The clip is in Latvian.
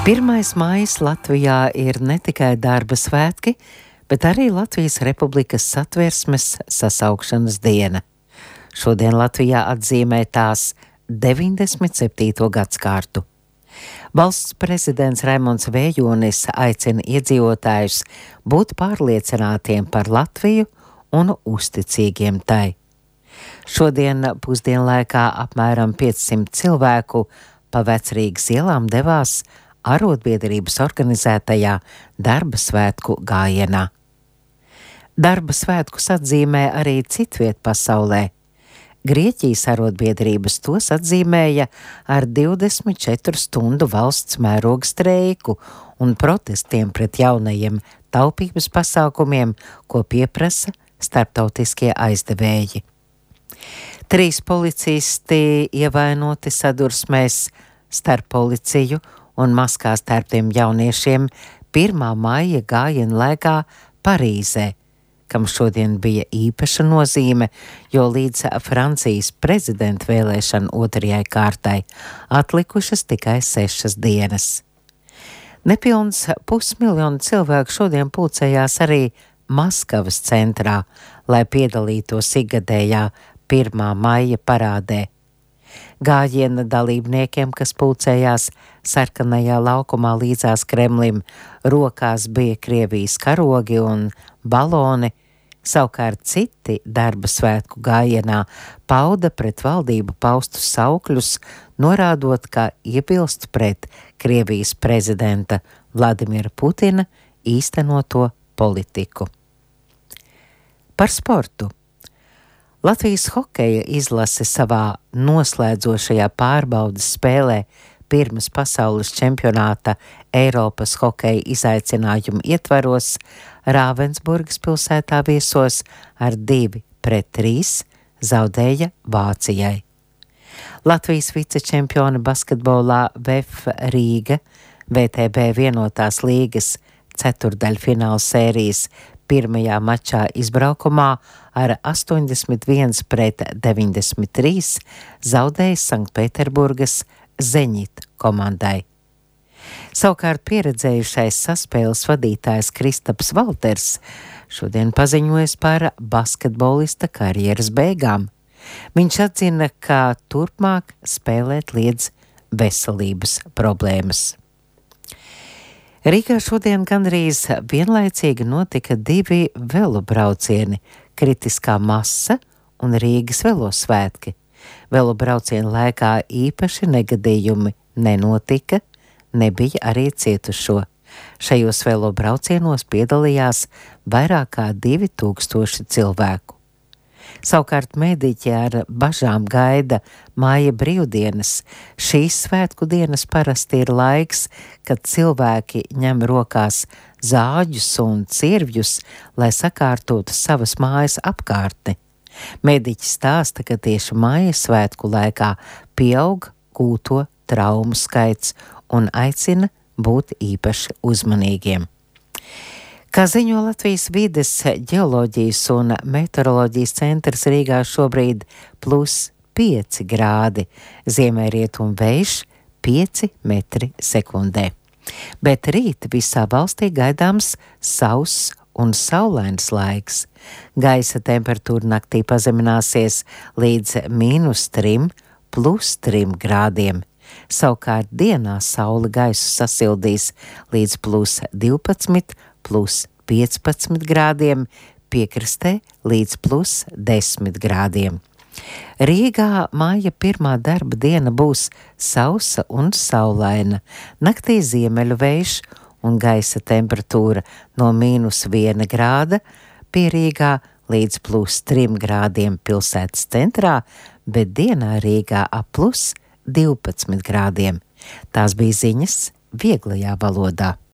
1. maijs Latvijā ir ne tikai darba svētki, bet arī Latvijas Republikas Satversmes sasaukšanas diena. Šodien Latvijā atzīmē tās 97. gadskārtu. Valsts prezidents Raimonds Vējonis aicina iedzīvotājus būt pārliecinātiem par Latviju un uzticīgiem tai. Šodien pusdienlaikā apmēram 500 cilvēku pa Vecrīgas ielām devās arotbiedrības organizētajā darba svētku gājienā. Darba svētkus atzīmē arī citviet pasaulē. Grieķijas arotbiedrības tos atzīmēja ar 24 stundu valsts mēroga streiku un protestiem pret jaunajiem taupības pasākumiem, ko pieprasa starptautiskie aizdevēji. 3 policisti ievainoti sadursmēs starp policiju un maskās tērptiem jauniešiem 1. maija gājiena laikā Parīzē, kam šodien bija īpaša nozīme, jo līdz Francijas prezidenta vēlēšanu 2. kārtai atlikušas tikai 6 dienas. Nepilns 500 000 cilvēku šodien pulcējās arī Maskavas centrā, lai piedalītos ikgadējā 1. maija parādē. Gājiena dalībniekiem, kas pulcējās sarkanajā laukumā līdzās Kremlim, rokās bija Krievijas karogi un baloni, savukārt citi darba svētku gājienā pauda pret valdību paustus saukļus, norādot, ka iebilst pret Krievijas prezidenta Vladimira Putina īstenoto politiku. Par sportu. Latvijas hokeja izlase savā noslēdzošajā pārbaudes spēlē pirms pasaules čempionāta Eiropas hokeja izaicinājumu ietvaros Rāvensburgas pilsētā viesos ar 2-3 zaudēja Vācijai. Latvijas vicečempioni basketbolā VF Rīga VTB vienotās līgas ceturdaļfināla sērijas pirmajā mačā izbraukumā ar 81-93 zaudēja Sanktpēterburgas Zeņit komandai. Savukārt pieredzējušais saspēles vadītājs Kristaps Valters šodien paziņojas par basketbolista karjeras beigām. Viņš atzina, ka turpmāk spēlēt liedz veselības problēmas. Rīgā šodien gandrīz vienlaicīgi notika 2 velobraucieni – kritiskā masa un Rīgas velosvētki. Velobraucienu laikā īpaši negadījumi nenotika, nebija arī cietušo. Šajos velobraucienos piedalījās vairāk kā 2000 cilvēku. Savukārt mēdīķi ar bažām gaida māja brīvdienas. Šīs svētku dienas parasti ir laiks, kad cilvēki ņem rokās zāģus un cirvjus, lai sakārtotu savas mājas apkārtni. Mēdīķi stāsta, ka tieši māja svētku laikā pieaug gūto traumu skaits un aicina būt īpaši uzmanīgiem. Kā ziņo Latvijas vides, ģeoloģijas un meteoroloģijas centrs, Rīgā šobrīd +5 grādi, ziemeļrietumu vējš 5 metri sekundē. Bet rīt visā valstī gaidāms sauss un saulains laiks. Gaisa temperatūra naktī pazemināsies līdz -3, +3 grādiem. Savukārt dienā saule gaisu sasildīs līdz +12, +15 grādiem, piekrastē līdz +10 grādiem. Rīgā māja 1. darba diena būs sausa un saulaina, naktī ziemeļu vējš un gaisa temperatūra no -1 grāda pie Rīgā līdz +3 grādiem pilsētas centrā, bet dienā Rīgā ap +12 grādiem. Tās bija ziņas vieglajā valodā.